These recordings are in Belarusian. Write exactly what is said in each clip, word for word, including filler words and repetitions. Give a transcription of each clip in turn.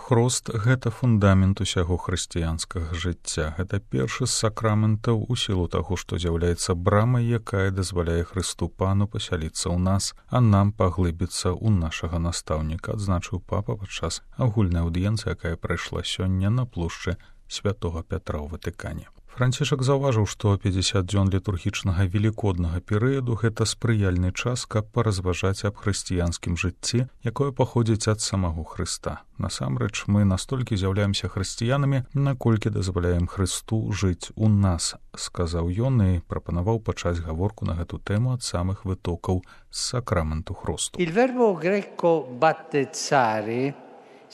Хрост – гэта фундамент усяго хрысціянскага жыцця. Гэта першы з сакраментаў у сілу таго, што з'яўляецца брамай, якая дазваляе Хрысту Пану пасяліцца ў нас, а нам паглыбіцца ў нашага настаўніка, адзначыў папа падчас агульнай аўдыенцыі, якая прайшла сёння на плошчы святога Пятра ў Ватыкане. Францішак заўважыў, што пяцьдзясят дзён літургічнага велікоднага перыяду – гэта спрыяльны час, каб паразважаць аб хрысціянскім жыцці, якое паходзіць ад самого Хрыста. Насамрэч, мы настолькі з'яўляемся хрысціянамі, наколькі дазваляем Хрысту жыць у нас, сказаў ён і прапанаваў пачаць гаворку на гэту тэму ад самых вытокаў з сакраменту хросту. Il verbo greco battezzare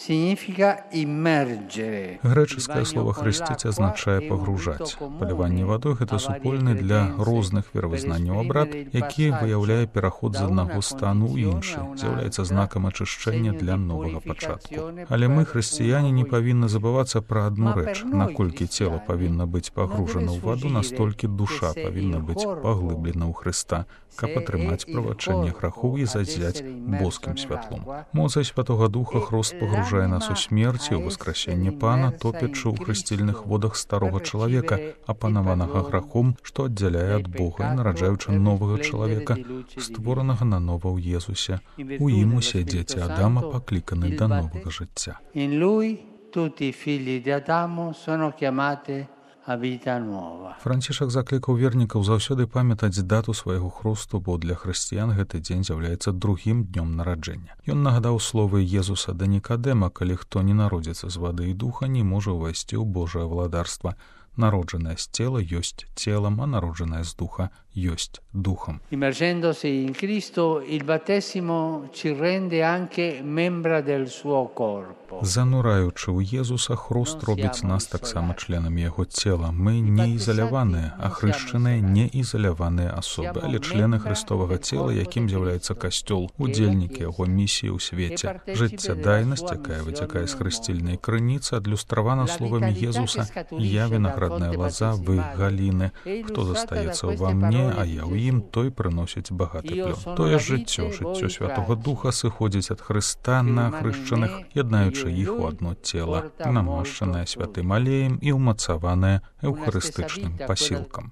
significa immergere. Грэчаскае слова «хрысціць» азначае «пагружаць». Паліванне вадой – гэта супольны для розных веравызнанняў абрад, які выяўляе пераход з аднаго стану ў іншы, з'яўляецца знакам ачышчэння для новага пачатку. Але мы, хрысціяне, не павінны забывацца пра адну рэч. Наколькі цела павінна быць пагружана ў ваду, настолькі душа павінна быць паглыблена ў Хрыста, каб атрымаць правачэнне грахоў і зазяць боскім святлом. Моцай Святога Духа хрост пагружае нас у смерць і ў васкрасенне Пана, топячы ў хрысцільных водах старога чалавека, апанаванага грахом, што аддзяляе ад Бога і нараджаючы новага чалавека, створанага нанова ў Езусе. У ім усе дзеці Адама пакліканы да новага жыцця. In lui tutti i figli di Adamo sono chiamati a vita nuova. Францішак заклікаў вернікаў заўсёды памятаць дату свайго хросту, бо для хрысціян гэты дзень з'яўляецца другім днём нараджэння. Ён нагадаў словы Езуса да Нікадэма: калі хто не народзіцца з вады і духа, не можа ўвайсці ў Божае владарства. Народжанае з цела ёсць целам, а народжанае з духа ёсць духом. Immergendosi in Cristo, il battesimo ci rende anche membra del suo corpo. Занураючы ў Езуса, хрост робіць нас таксама членамі яго цела. Мы не ізаляваныя, а хрышчаныя не ізаляваныя асобы, але члены Христовага цела, якім з'яўляецца касцёл, удзельнікі яго місіі ў свеце. Жыццядайнасць, якая выцякае з хрысцільнай крыніцы, адлюстравана словамі Езуса: «Я виноградная лоза, вы галіны. Хто застаецца ўва мне, а я ў ім, той прыносіць багаты плён». Тое ж жыццё, жыццё Святога Духа сыходзіць ад Хрыста на хрышчаных, яднаючы іх у адно цела, намашчанае святым алеем і ўмацаванае эўхарыстычным пасілкам.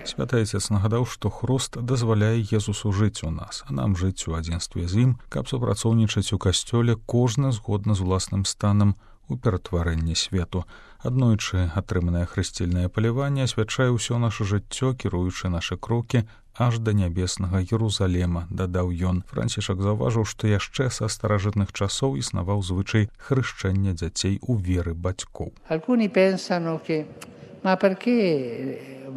Святы Айцец нагадаў, што хрост дазваляе Езусу жыць у нас, а нам жыць у адзінстве з ім, каб супрацоўнічаць у касцёле, кожны згодна з уласным станам у ператварэнні свету. Аднойчы атрыманае хрысцільнае паліванне асвячае ўсё наша жыццё, кіруючы нашы крокі аж да нябеснага Єрусалема, дадаў ён. Францішак заўважыў, што яшчэ са старажытных часоў існаваў звычай хрышчэння дзяцей у веры бацькоў. Alcuni pensano che ma perché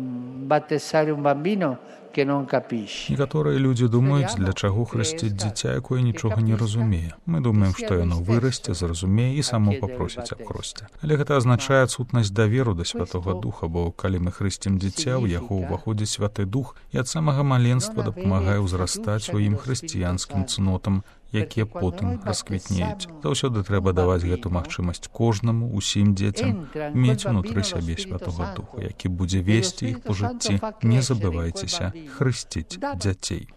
battezzare un bambino che non capisce? Некаторыя людзі думаюць, для чаго хрысціць дзіця, якое нічога не разумее. Мы думаем, што яно вырасце, зразумее і само папросіць аб хросце. Але гэта азначае адсутнасць даверу да Святога Духа, бо калі мы хрысцім дзіця, у яго ўваходзіць Святы Дух і ад самага маленства дапамагае ўзрастаць у ім хрысціянскім цнотам, якія потым расквітнеюць. Заўсёды трэба даваць гэту магчымасць кожнаму, усім дзецям, мець унутры сябе Святога Духа, які будзе весці іх па жыцці. Не забывайцеся хрысціць дзяцей.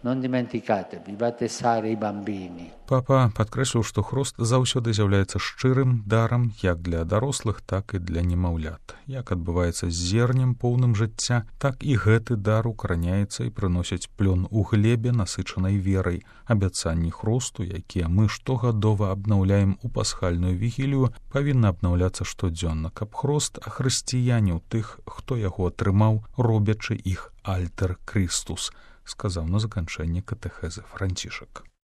Папа падкрэсліў, што хрост заўсёды з'яўляецца шчырым дарам як для дарослых, так і для немаўлят. Як адбываецца з зернем поўным жыцця, так і гэты дар укараняецца і прыносіць плён у глебе, насычанай верай. Абяцанні хросту, якія мы штогадова абнаўляем у пасхальную вігілію, павінны абнаўляцца штодзённа, каб хрост ахрысціяніў тых, хто яго атрымаў, робячы іх альтер Крыстус, сказаў на заканчэнні катэхезы Францішак.